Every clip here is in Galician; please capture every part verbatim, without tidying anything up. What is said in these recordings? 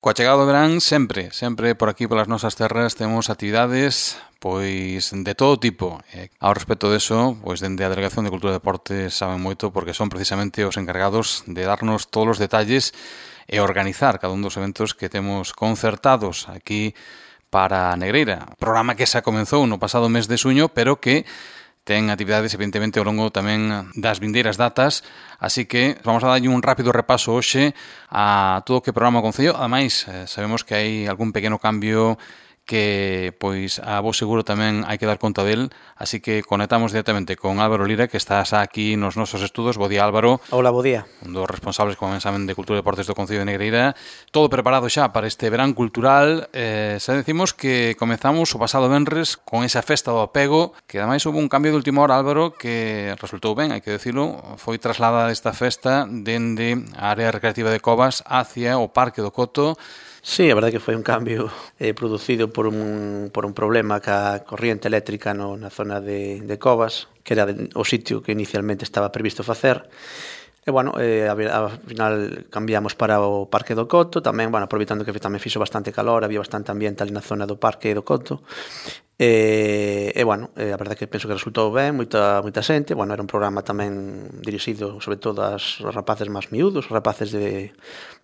Coa chegada do verán, sempre, sempre por aquí polas nosas terras temos actividades pois de todo tipo. E, ao respecto deso, pois dende a Delegación de Cultura e Deportes saben moito porque son precisamente os encargados de darnos todos os detalles e organizar cada un dos eventos que temos concertados aquí para Negreira. Programa que xa comenzou no pasado mes de xuño, pero que ten actividades, evidentemente, ao longo tamén das vindeiras datas, así que vamos a darlle un rápido repaso hoxe a todo o que programa o Concello. Ademais, sabemos que hai algún pequeno cambio que, pois, a vos seguro tamén hai que dar conta del, así que conectamos directamente con Álvaro Lira, que está xa aquí nos nosos estudos. Bo día, Álvaro. Hola, bo día. Un dos responsables, como ben saben, de Cultura e Deportes do Concello de Negreira. Todo preparado xa para este verán cultural. Eh, xa decimos que comezamos o pasado venres con esa festa do apego, que ademais houve un cambio de última hora, Álvaro, que resultou ben, hai que decirlo. Foi trasladada esta festa dende a área recreativa de Covas hacia o Parque do Coto. Sí, a verdade que foi un cambio eh, producido por un, por un problema ca corriente eléctrica no, na zona de, de Covas, que era de, o sitio que inicialmente estaba previsto facer. E, bueno, eh, ao final cambiamos para o Parque do Coto, tamén, bueno, aproveitando que tamén fixo bastante calor, había bastante ambiente ali na zona do Parque do Coto. E, e bueno, eh, a verdade que penso que resultou ben, moita, moita xente. Bueno, era un programa tamén dirixido sobre todo aos rapaces máis miúdos, rapaces de,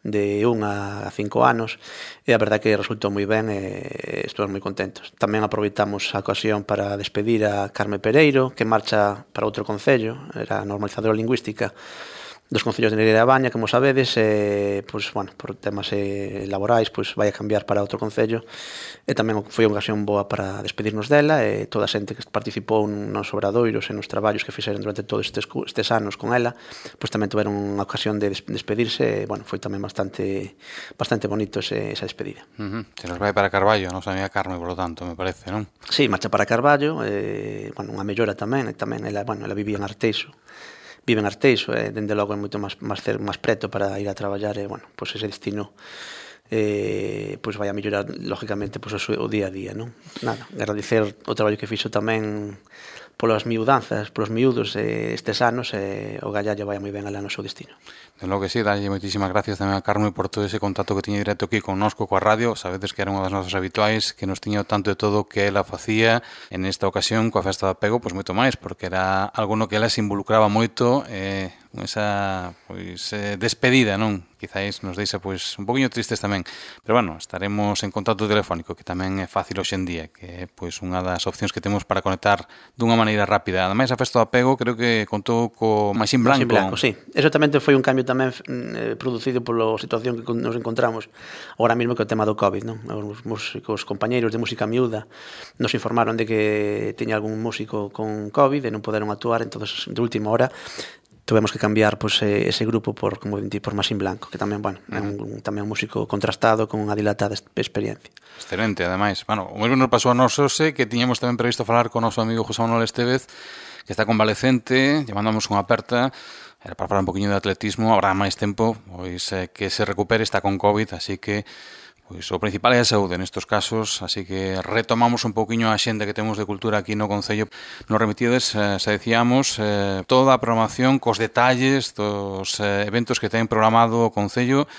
de un a cinco anos, e a verdade que resultou moi ben e estamos moi contentos. Tamén aproveitamos a ocasión para despedir a Carme Pereiro, que marcha para outro concello, era normalizadora lingüística dos concellos de Negreira e Baña, como sabedes, e, pois, bueno, por temas eh, laborais, pois vai a cambiar para outro concello, e tamén foi unha ocasión boa para despedirnos dela, e toda a xente que participou nos obradoiros e nos traballos que fixeron durante todos estes, estes anos con ela, pois tamén tiveron unha ocasión de despedirse, e, bueno, foi tamén bastante bastante bonito ese, esa despedida. Uh-huh. Se nos vai para Carballo, non sabía Carme, por lo tanto, me parece, non? Sí, marcha para Carballo, e, bueno, unha mellora tamén, e tamén ela, bueno, ela vivía en Arteixo, vive en Arteixo, e dende logo é moito máis máis máis preto para ir a traballar, e, bueno, pois ese destino eh, pois vai a mellorar lógicamente pois, o día a día, non? Nada, agradecer o traballo que fixo tamén polas miudanzas, polos miúdos eh, estes anos, e o gallallo vai moi ben alá no seu destino. De logo que sí, dalle moitísimas gracias tamén a Carme por todo ese contacto que tiña directo aquí connosco coa radio. Sabedes que era unha das nosas habituais, que nos tiña tanto de todo que ela facía. En esta ocasión, coa festa de apego, pois moito máis, porque era algo no que ela se involucraba moito, eh, esa pois eh, despedida, non? Quizáis nos deixa pois un poquinho tristes tamén. Pero bueno, estaremos en contacto telefónico, que tamén é fácil hoxe en día, que é pois unha das opcións que temos para conectar dunha maneira rápida. Ademais, a festa do apego creo que contou co Maxín Blanco. Maxín Blanco, sí. Eso tamén foi un cambio tamén eh, producido pola situación que nos encontramos agora mesmo que o tema do COVID, non? Os músicos, compañeiros de música miúda nos informaron de que tiña algún músico con COVID e non poderon actuar, entonces de última hora tuvemos que cambiar pois, ese grupo por, como dicir, por Maxín Blanco, que tamén, bueno, é un, tamén un músico contrastado con unha dilatada experiencia. Excelente, ademais. Bueno, o mesmo nos pasou a nós hoxe, que tiñamos tamén previsto falar con o noso amigo José Manuel Estevez, que está convalecente, lle mandamos unha aperta, era para falar un poquinho de atletismo, habrá máis tempo, pois eh, que se recupere, está con COVID, así que pois o principal é a saúde nestos casos, así que retomamos un pouquiño a xenda que temos de cultura aquí no Concello. Nos remitides, eh, xa decíamos, eh, toda a programación cos detalles dos eh, eventos que ten programado o Concello.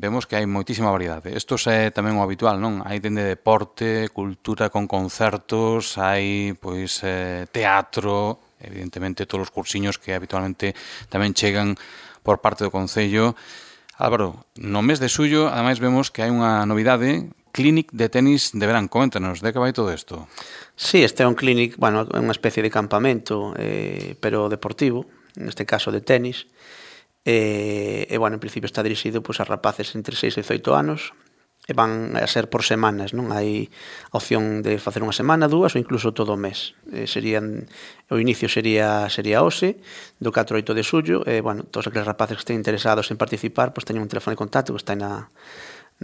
Vemos que hai moitísima variedade. Isto é tamén o habitual, non? Hai dende deporte, cultura con concertos, hai pois eh, teatro, evidentemente todos os cursiños que habitualmente tamén chegan por parte do Concello. Álvaro, no mes de xullo, ademais vemos que hai unha novidade, Clinic de tenis de verán. Coméntanos, de que vai todo isto? Sí, este é un clinic, bueno, é unha especie de campamento, eh, pero deportivo, neste caso de tenis, e, e bueno, en principio está dirixido pois, a rapaces entre seis e dezoito anos, e van a ser por semanas, non? Hai a opción de facer unha semana, dúas ou incluso todo o mes. Eh, serían, o inicio sería sería hoxe, do catro ao oito de xullo, e, bueno, todos aqueles rapaces que estén interesados en participar, pois teñen un teléfono de contacto que está na,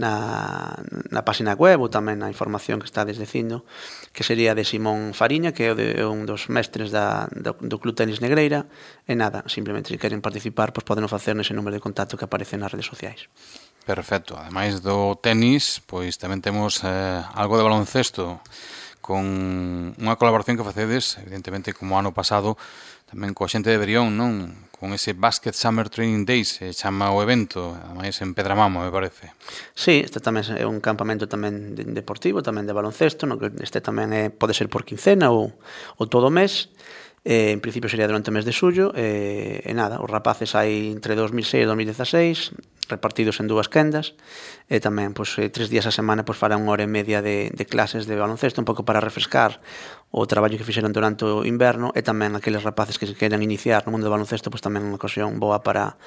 na, na página web ou tamén na información que está desdecindo, que sería de Simón Fariña, que é, de, é un dos mestres da, do, do Club Tenis Negreira, e nada, simplemente se queren participar, pois poden facer nese número de contacto que aparece nas redes sociais. Perfecto. Ademais do tenis, pois tamén temos eh, algo de baloncesto con unha colaboración que facedes, evidentemente, como ano pasado, tamén coa xente de Brión, non? con ese Basket Summer Training Days, se chama o evento, ademais en Pedramamo, me parece. Sí, este tamén é un campamento tamén deportivo, tamén de baloncesto, no que este tamén é, pode ser por quincena ou, ou todo o mes. Eh, en principio sería durante o mes de xullo eh, e nada, os rapaces hai entre dos mil seis e dos mil dieciséis repartidos en dúas quendas e tamén pois, eh, tres días a semana pois, farán unha hora e media de, de clases de baloncesto un pouco para refrescar o traballo que fixeron durante o inverno e tamén aqueles rapaces que se queran iniciar no mundo do baloncesto pois, tamén unha ocasión boa para,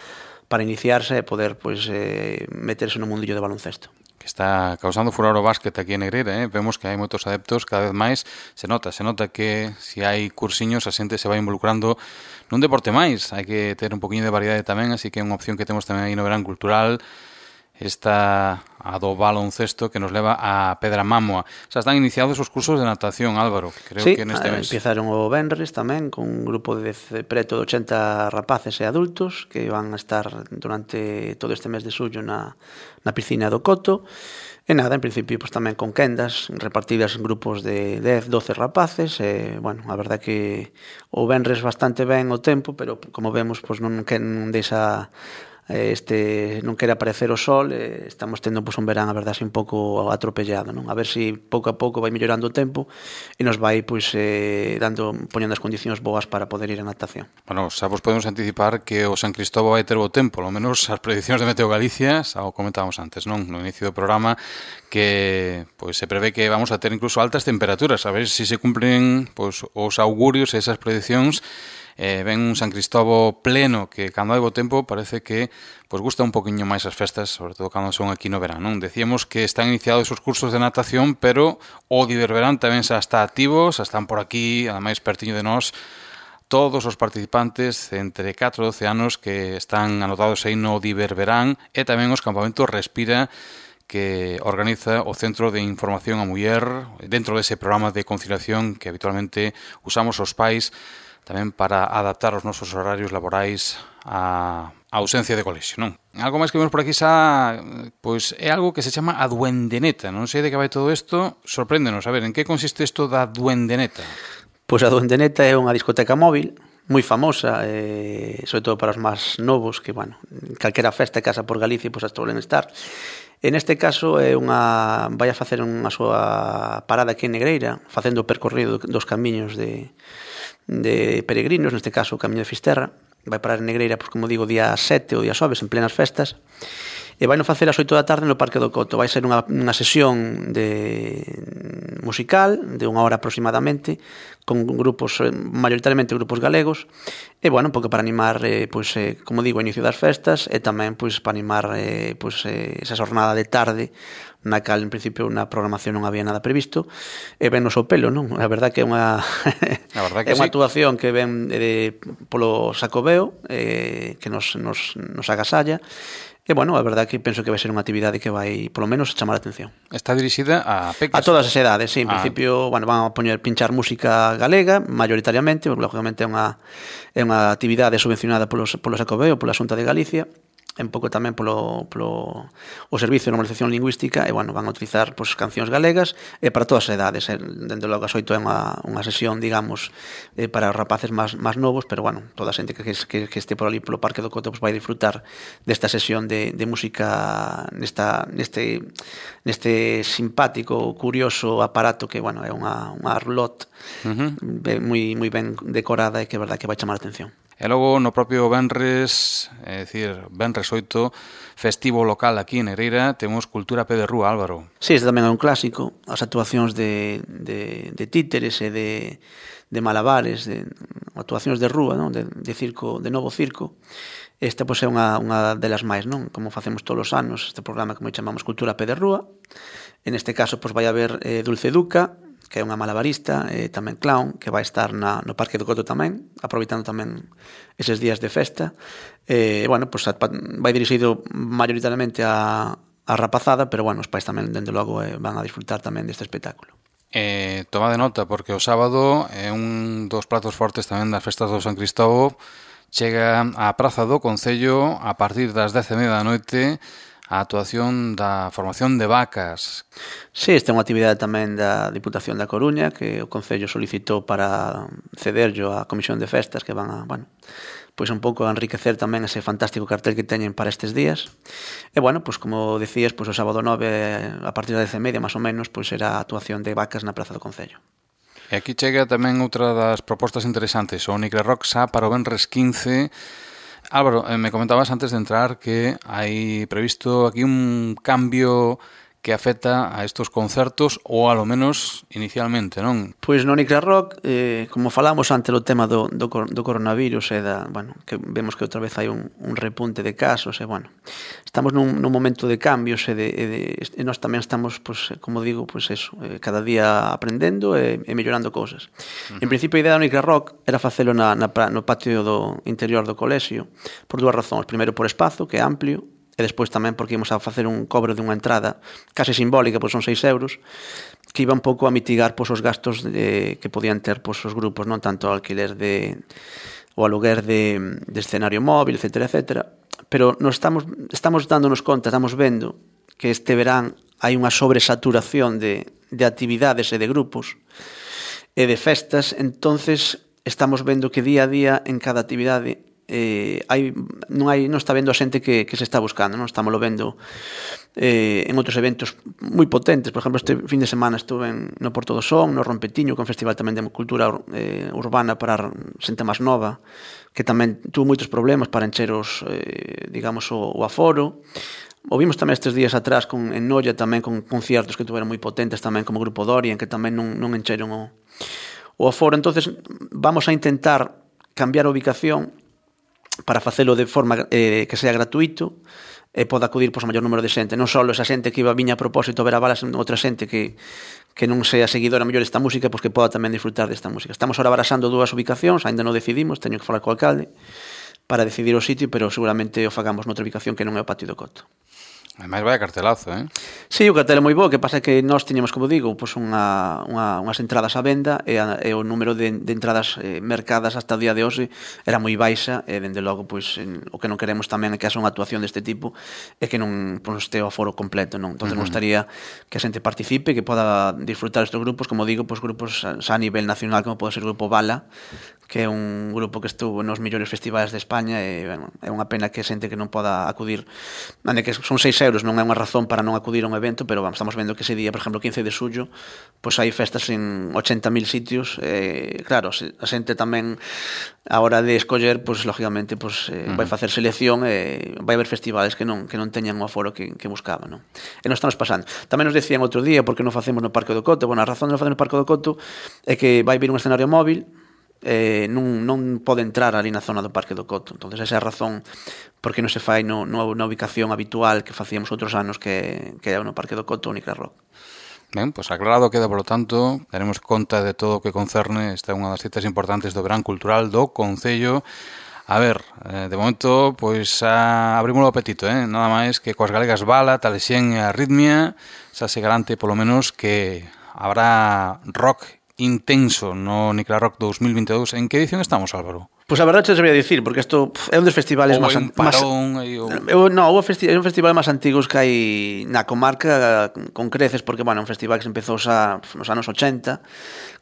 para iniciarse e poder pois, eh, meterse no mundillo de baloncesto. Que está causando furor o básquet aquí en Negreira, eh? Vemos que hai moitos adeptos, cada vez máis se nota, se nota que se hai cursiños a xente se vai involucrando nun deporte máis, hai que ter un poquinho de variedade tamén, así que é unha opción que temos tamén aí no verán cultural, esta a do baloncesto que nos leva a Pedramamo. Xa están iniciados os cursos de natación, Álvaro, creo sí, que neste mes. Sí, empezaron o venres tamén con un grupo de preto de ochenta rapaces e adultos que van a estar durante todo este mes de xullo na, na piscina do Coto. E nada, en principio pues, tamén con quendas repartidas en grupos de dez, doce rapaces e, bueno, a verdad que o venres bastante ben o tempo, pero como vemos, pues, non, non deixa este non quere aparecer o sol, eh, estamos tendo pues, un verán, a verdade, así un pouco atropellado, non? A ver se si pouco a pouco vai mellorando o tempo e nos vai pues, eh, dando, poñendo as condicións boas para poder ir a natación. Bueno, xa vos podemos anticipar que o San Cristóbal vai ter o tempo, ao menos as prediccións de Meteo Galicia, xa o comentábamos antes, non? No inicio do programa, que pues, se prevé que vamos a ter incluso altas temperaturas, a ver se si se cumplen pues, os augurios e esas prediccións. Eh, ven un San Cristóbal pleno que cando hai bo tempo parece que pues, gusta un poquinho máis as festas, sobre todo cando son aquí no verán, non? Decíamos que están iniciados os cursos de natación, pero o Diververán tamén xa está activo, xa están por aquí, ademais pertiño de nós, todos os participantes entre catro e doce anos que están anotados aí no Diververán e tamén os campamentos Respira que organiza o Centro de Información a Muller dentro dese programa de conciliación que habitualmente usamos os pais tamén para adaptar os nosos horarios laborais á ausencia de colexio, non? Algo máis que vemos por aquí xa, pois é algo que se chama a Duendeneta, non sei de que vai todo isto, sorpréndenos, a ver, en que consiste isto da Duendeneta? Pois a Duendeneta é unha discoteca móvil moi famosa, eh, sobre todo para os máis novos, que, bueno, calquera festa que casa por Galicia, pois as tolen estar. En este caso é unha vai a facer unha súa parada aquí en Negreira, facendo o percorrido dos camiños de de peregrinos, neste caso o Camiño de Fisterra, vai parar en Negreira, pois, como digo, día sete ou día xoves, en plenas festas, e vai non facer ás oito da tarde no Parque do Coto. Vai ser unha, unha sesión de musical de unha hora aproximadamente, con grupos, maioritariamente grupos galegos, e, bueno, un pouco para animar, eh, pois, eh, como digo, o inicio das festas, e tamén, pois, para animar eh, pois, eh, esa jornada de tarde, na cal, en principio, na programación non había nada previsto, e ven o pelo, non? A verdad que é unha que é unha sí. actuación que ven de, polo Xacobeo, eh, que nos, nos, nos agasalla, e, bueno, a verdad que penso que vai ser unha actividade que vai, polo menos, chamar a atención. Está dirixida a peques? A todas as edades, sí, en ah. principio, bueno, van a poñer pinchar música galega, maioritariamente, porque, lógicamente, é unha, é unha actividade subvencionada polo, polo Xacobeo, pola Xunta de Galicia, un pouco tamén polo, polo o Servicio de Normalización Lingüística e, bueno, van a utilizar pues, cancións galegas e para todas as edades, eh, dende logo as oito é unha, unha sesión, digamos, eh, para os rapaces máis, máis novos, pero, bueno, toda a xente que, que, que este por ali polo Parque do Coto pues, vai disfrutar desta sesión de, de música nesta, neste, neste simpático, curioso aparato que, bueno, é unha, unha roulotte uh-huh. moi, moi ben decorada e que é verdad que vai chamar a atención. E logo no propio Venres, é dicir, Venres oito, festivo local aquí en Negreira, temos Cultura Pé de Rúa, Álvaro. Sí, este tamén é un clásico, as actuacións de, de, de títeres e de, de malabares, de actuacións de rúa, non? De, de circo, de novo circo. Esta pois, é unha, unha delas máis, non? Como facemos todos os anos, este programa que moi chamamos Cultura Pé de Rúa. En este caso, pois, vai haber eh, Dulce Duca, que é unha malabarista, e tamén clown, que vai estar na, no Parque do Coto tamén, aproveitando tamén eses días de festa. E, bueno, pues, vai dirixido maioritariamente a, a rapazada, pero, bueno, os pais tamén, dende logo, eh, van a disfrutar tamén deste espectáculo. Eh, toma de nota, porque o sábado é un dos pratos fortes tamén das festas do San Cristóbal. Chega á Praza do Concello a partir das dez e media da noite a actuación da formación de vacas. Sí, esta é unha actividade tamén da Diputación da Coruña que o Concello solicitou para cederllo á Comisión de Festas que van a, bueno, pois un pouco a enriquecer tamén ese fantástico cartel que teñen para estes días. E bueno, pois como decías, pois o sábado nove a partir das dez e media, máis ou menos, pois será a actuación de vacas na Praza do Concello. E aquí chega tamén outra das propostas interesantes, o Nicra Rock xa para o venres quince. Álvaro, me comentabas antes de entrar que hai previsto aquí un cambio que afecta a estos concertos, ou alo menos inicialmente, non? Pois no Nicra Rock, eh, como falamos antes do tema do, do, do coronavirus e da, bueno, que vemos que outra vez hai un, un repunte de casos e, bueno, estamos nun, nun momento de cambios e, de, e, de, e nós tamén estamos, pues, como digo, pues eso, eh, cada día aprendendo e, e mellorando cousas. Uh-huh. En principio a idea do Nicra Rock era facelo na, na, no patio do interior do colexio por dúas razóns. Primeiro por espazo, que é amplio, e despois tamén porque íamos a facer un cobre dunha entrada case simbólica, pois son seis euros, que iba un pouco a mitigar pois, os gastos de, que podían ter pois, os grupos, non tanto o alquiler de o aluguer de, de escenario móvil, etcétera, etcétera. Pero nos estamos, estamos dándonos conta, estamos vendo que este verán hai unha sobresaturación de, de actividades e de grupos e de festas, entonces estamos vendo que día a día en cada actividade eh, hai, non hai non está vendo a xente que, que se está buscando, non estamos lo vendo eh, en outros eventos moi potentes. Por exemplo, este fin de semana estuve en, no Porto do Son, no Rompetiño, que é un festival tamén de cultura eh, urbana para xente máis nova, que tamén tuvo moitos problemas para encher os, eh, digamos, o, o aforo. O vimos tamén estes días atrás con, en Noia tamén con conciertos que tuveron moi potentes tamén como Grupo Dorian, que tamén non, non encheron o, o aforo. Entonces vamos a intentar cambiar a ubicación para facelo de forma eh, que sea gratuito e poda acudir pois, a maior número de xente, non só esa xente que iba viña a propósito a ver a balas, outra xente que, que non sea seguidora mellor desta música, pois que poda tamén disfrutar desta música. Estamos ahora barasando dúas ubicacións, ainda non decidimos, teño que falar co alcalde para decidir o sitio, pero seguramente o fagamos noutra ubicación que non é o Patio do Coto. Ademais vai a cartelazo, eh? Sí, o cartel é moi bo, que pasa que nós tiñamos, como digo, pois unha, unha, unhas entradas á venda e, a, e o número de, de entradas eh, mercadas hasta o día de hoxe era moi baixa e, dende logo, pois, en, o que non queremos tamén é que haxa unha actuación deste tipo e que non pois, este o aforo completo, non? Entón, uh-huh. Nos gustaría que a xente participe, que poda disfrutar estes grupos, como digo, pois grupos a, a nivel nacional, como pode ser o Grupo Bala, que é un grupo que estuvo nos mellores festivais de España e, bueno, é unha pena que xente que non poda acudir, ande que son seis euros, non é unha razón para non acudir a un evento, pero vamos, estamos vendo que ese día, por exemplo, quince de xullo, pois hai festas en ochenta mil sitios, e claro, a xente tamén a hora de escoller, pois lógicamente, pois eh, uh-huh. vai facer selección e vai haber festivales que non que non teñan o aforo que, que buscaban, non? E nos estamos pasando. Tamén nos decían outro día porque non facemos no Parque do Coto. Bueno, a razón de non facer no Parque do Coto é que vai vir un escenario móvil, eh, non, non pode entrar ali na zona do Parque do Coto. Entonces esa é a razón porque non se fai no, no, na ubicación habitual que facíamos outros anos que, que é no Parque do Coto o Nicra Rock. Ben, pois pues aclarado queda, por lo tanto, daremos conta de todo o que concerne. Esta é unha das citas importantes do verán cultural do Concello. A ver, eh, de momento, pois a abrimos o apetito, eh? Nada máis que coas galegas Bala, Talexén e Arritmia, xa se garante polo menos que habrá rock intenso no Nicra Rock dous mil vinte e dous. En que edición estamos, Álvaro? Pois a verdade te sabía dicir, porque isto é un dos festivales máis antigos. Eu non, é un festival máis antigos que hai na comarca con creces, porque bueno, é un festival que se empezou xa nos anos ochenta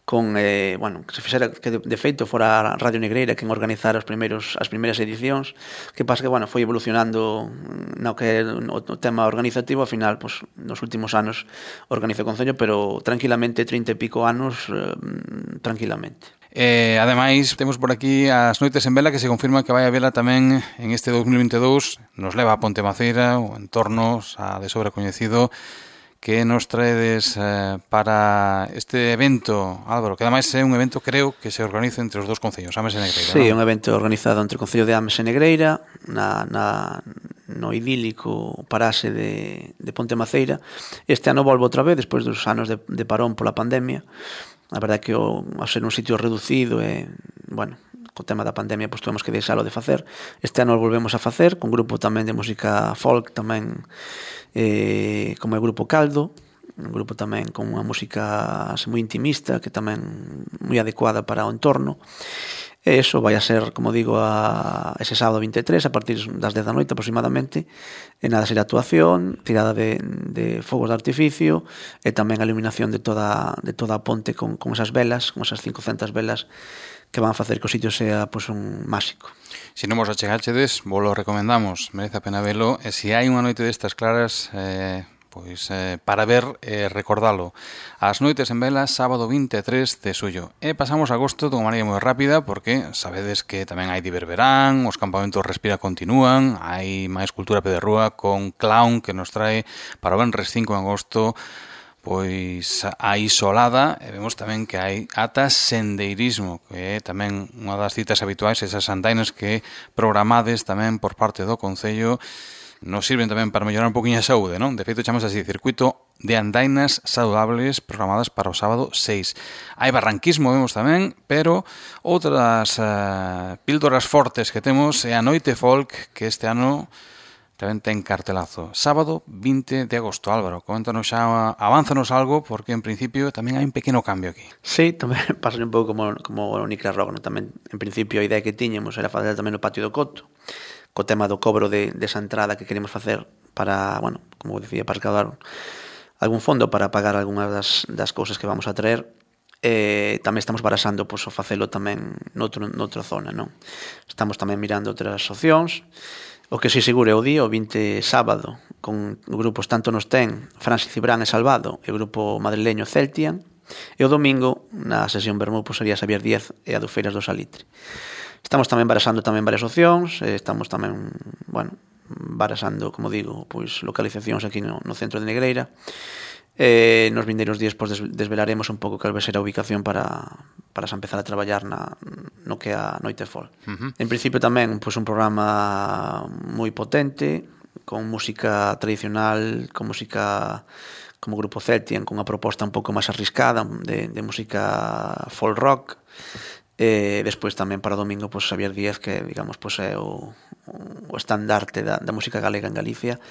con eh, bueno, que se fixera que de, de feito fora a Radio Negreira quen organizara os primeiros as primeiras edicións, que pasa que bueno, foi evolucionando no que o, o tema organizativo, ao final, pues, nos últimos anos organiza o Concello, pero tranquilamente trinta e pico anos eh, tranquilamente. Eh, ademais, temos por aquí as noites en vela que se confirma que vai a vela tamén en este dous mil vinte e dous. Nos leva a Ponte Maceira, o entorno xa de sobra coñecido. Que nos traedes eh, para este evento, Álvaro? Que ademais é un evento, creo, que se organiza entre os dos concellos, Ames e Negreira. Sí, é ¿no? un evento organizado entre o Concello de Ames e Negreira, na, na, no idílico paraxe de, de Ponte Maceira. Este ano volvo outra vez, despois dos anos de, de parón pola pandemia. A verdade é que o, ao ser un sitio reducido e, bueno, co tema da pandemia, pois tuvemos que deixalo de facer. Este ano volvemos a facer, con grupo tamén de música folk, tamén eh, como é o Grupo Caldo, un grupo tamén con unha música moi intimista, que tamén moi adecuada para o entorno. E iso vai a ser, como digo, a ese sábado vinte e tres, a partir das dez da noite aproximadamente, e nada, será actuación, tirada de, de fogos de artificio, e tamén a iluminación de toda, de toda a ponte con, con esas velas, con esas cincocentas velas, que van a facer que o sitio sea pues, un máxico. Se non vos achegachedes, vos lo recomendamos, merece a pena velo, e se hai unha noite destas claras... Eh... Pois eh, para ver e eh, recordalo. As noites en vela, sábado vinte e tres de xullo. E pasamos a agosto dunha maneira moi rápida porque sabedes que tamén hai Diververán, os campamentos Respira continúan, hai máis cultura pederrúa con Clown que nos trae para o venres cinco de agosto pois a Isolada, e vemos tamén que hai ata sendeirismo, que é tamén unha das citas habituais, esas andainas que programades tamén por parte do Concello nos sirven tamén para mellorar un poquinho a saúde, non? De feito, chamamos así, circuito de andainas saludables programadas para o sábado seis. Hai barranquismo, vemos tamén, pero outras uh, píldoras fortes que temos é a Noite Folk, que este ano tamén ten cartelazo. Sábado vinte de agosto. Álvaro, coméntanos xa, avánzanos algo, porque en principio tamén hai un pequeno cambio aquí. Sí, tamén pasa un pouco como, como o Nicra Rock, non? Tamén, en principio, a idea que tiñemos era facer tamén no patio do Coto, co tema do cobro de, desa entrada que queremos facer para, bueno, como decía, para recaudar algún fondo para pagar algunhas das, das cousas que vamos a traer. Eh, tamén estamos barasando pois, o facelo tamén noutro, noutra zona, non? Estamos tamén mirando outras opcións. O que si seguro é o día, o vinte sábado, con grupos tanto nos ten Francis Cibrán e Salvado e o grupo madrileño Celtian, e o domingo na sesión Bermú pois, sería Xavier Díaz e a do Feiras do Salitre. Estamos tamén barasando tamén varias opcións, estamos tamén, bueno, barasando, como digo, pois localizacións aquí no, no centro de Negreira. Eh, nos vindeiros días pois, desvelaremos un pouco cal vai ser a ubicación para, para empezar a traballar na, no que é a Noite Folk. Uh-huh. En principio tamén pois, un programa moi potente, con música tradicional, con música como grupo Celtian, con unha proposta un pouco máis arriscada de, de música folk rock. E despois tamén para o domingo pois, Xavier Díaz, que digamos pois, é o, o estandarte da, da música galega en Galicia,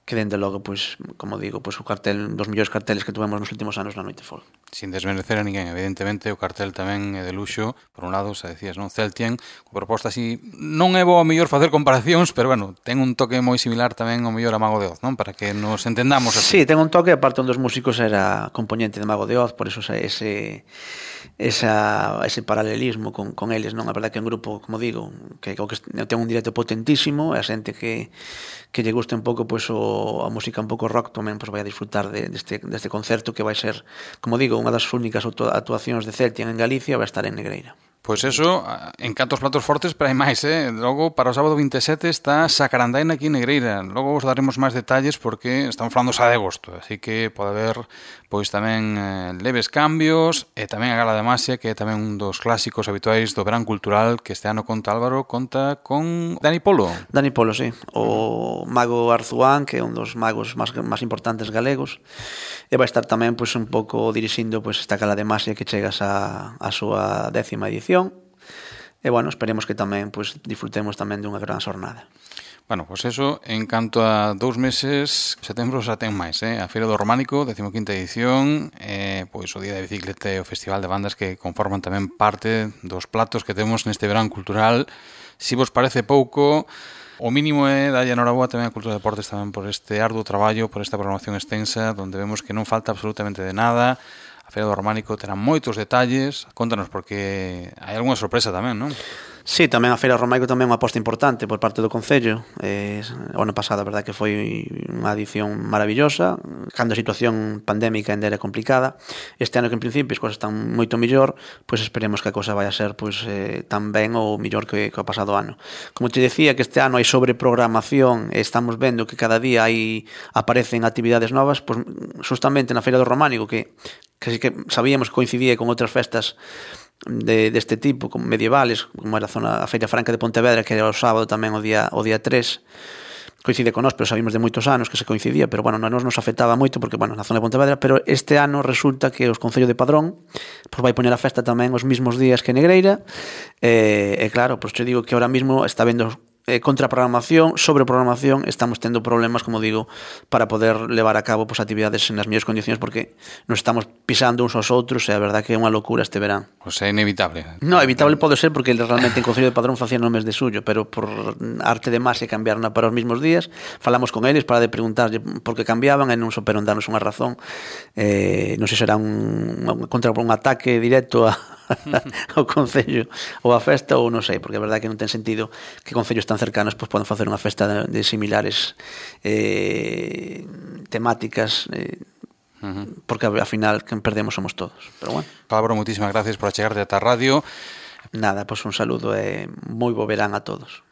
que dende logo, pois, como digo, pois, o cartel dos mellores carteles que tuvemos nos últimos anos na Noite Folk. Sin desmerecer a ninguén, evidentemente o cartel tamén é de luxo. Por un lado, xa decías, non, Celtian, con proposta así, non é bo a mellor facer comparacións, pero bueno, ten un toque moi similar tamén ao mellor a Mago de Oz, non? Para que nos entendamos así. Sí, ten un toque, aparte un dos músicos era componente de Mago de Oz, por eso ese esa, ese paralelismo con, con eles, non? A verdade que é un grupo, como digo, que, que ten un directo potentísimo, e a xente que, que lle guste un pouco pois, o, a música un pouco rock tamén pois, vai a disfrutar de, deste, deste concerto que vai ser, como digo, unha das únicas actuacións de Celtian en Galicia, vai estar en Negreira. Pois eso, en cantos platos fortes, pero hai máis, eh? Logo, para o sábado vinte e sete está Sacarandaina aquí en Negreira. Logo vos daremos máis detalles porque estamos falando xa de agosto, así que pode haber pois tamén eh, leves cambios, e tamén a Gala de Masia, que é tamén un dos clásicos habituais do verán cultural, que este ano conta Álvaro, conta con Dani Polo. Dani Polo, sí. O mago Arzuán, que é un dos magos máis, máis importantes galegos, e vai estar tamén pois, un pouco dirixindo pois, esta Gala de Masia que chegas a, a súa décima edición. E, bueno, esperemos que tamén pois, disfrutemos tamén dunha gran xornada. Bueno, pois pues eso, en canto a dous meses, setembro xa ten máis, eh? A Feira do Románico, decimoquinta edición, eh, pois o Día da Bicicleta e o Festival de Bandas que conforman tamén parte dos platos que temos neste verán cultural. Si vos parece pouco, o mínimo é dalle enhoraboa tamén a Cultura de Deportes tamén por este arduo traballo, por esta programación extensa, onde vemos que non falta absolutamente de nada. A Feira do Románico terá moitos detalles. Contanos, porque hai algunha sorpresa tamén, non? Sí, tamén a Feira do Románico tamén é unha aposta importante por parte do Concello. Eh, o ano pasado, a verdade que foi unha edición maravillosa, cando a situación pandémica ainda era complicada. Este ano que en principio as cousas están moito mellor, pois esperemos que a cousa vai a ser pois, eh, tan ben ou mellor que, que o pasado ano. Como te decía, que este ano hai sobreprogramación e estamos vendo que cada día hai aparecen actividades novas, pois justamente na Feira do Románico, que que sí que sabíamos que coincidía con outras festas de, deste tipo, como medievales, como era a zona a Feira Franca de Pontevedra, que era o sábado tamén o día o día tres, coincide con nós, pero sabíamos de moitos anos que se coincidía, pero bueno, non nos afectaba moito porque, bueno, na zona de Pontevedra, pero este ano resulta que os Concello de Padrón pois vai poñer a festa tamén os mismos días que Negreira, e, e claro, pois te digo que ahora mismo está vendo eh, contra a programación, sobre programación, estamos tendo problemas, como digo, para poder levar a cabo pues, actividades nas mellores condicións, porque nos estamos pisando uns aos outros, e a verdad que é unha locura este verán. Pois é inevitable. No, evitable pode ser, porque realmente en Concello de Padrón facían no mes de suyo, pero por arte de máis e cambiarna para os mismos días, falamos con eles para de preguntarlle por que cambiaban, e non souperon darnos unha razón. Eh, non sei se será un, contra un ataque directo a ao Concello ou a festa, ou non sei, porque a verdade que non ten sentido que concellos tan cercanos pois, poden facer unha festa de, de similares eh, temáticas eh, uh-huh. porque ao final quen perdemos somos todos. Pero bueno. Pablo, moitísimas gracias por achegarte ata a radio. Nada, pois un saludo e moi bo verán a todos.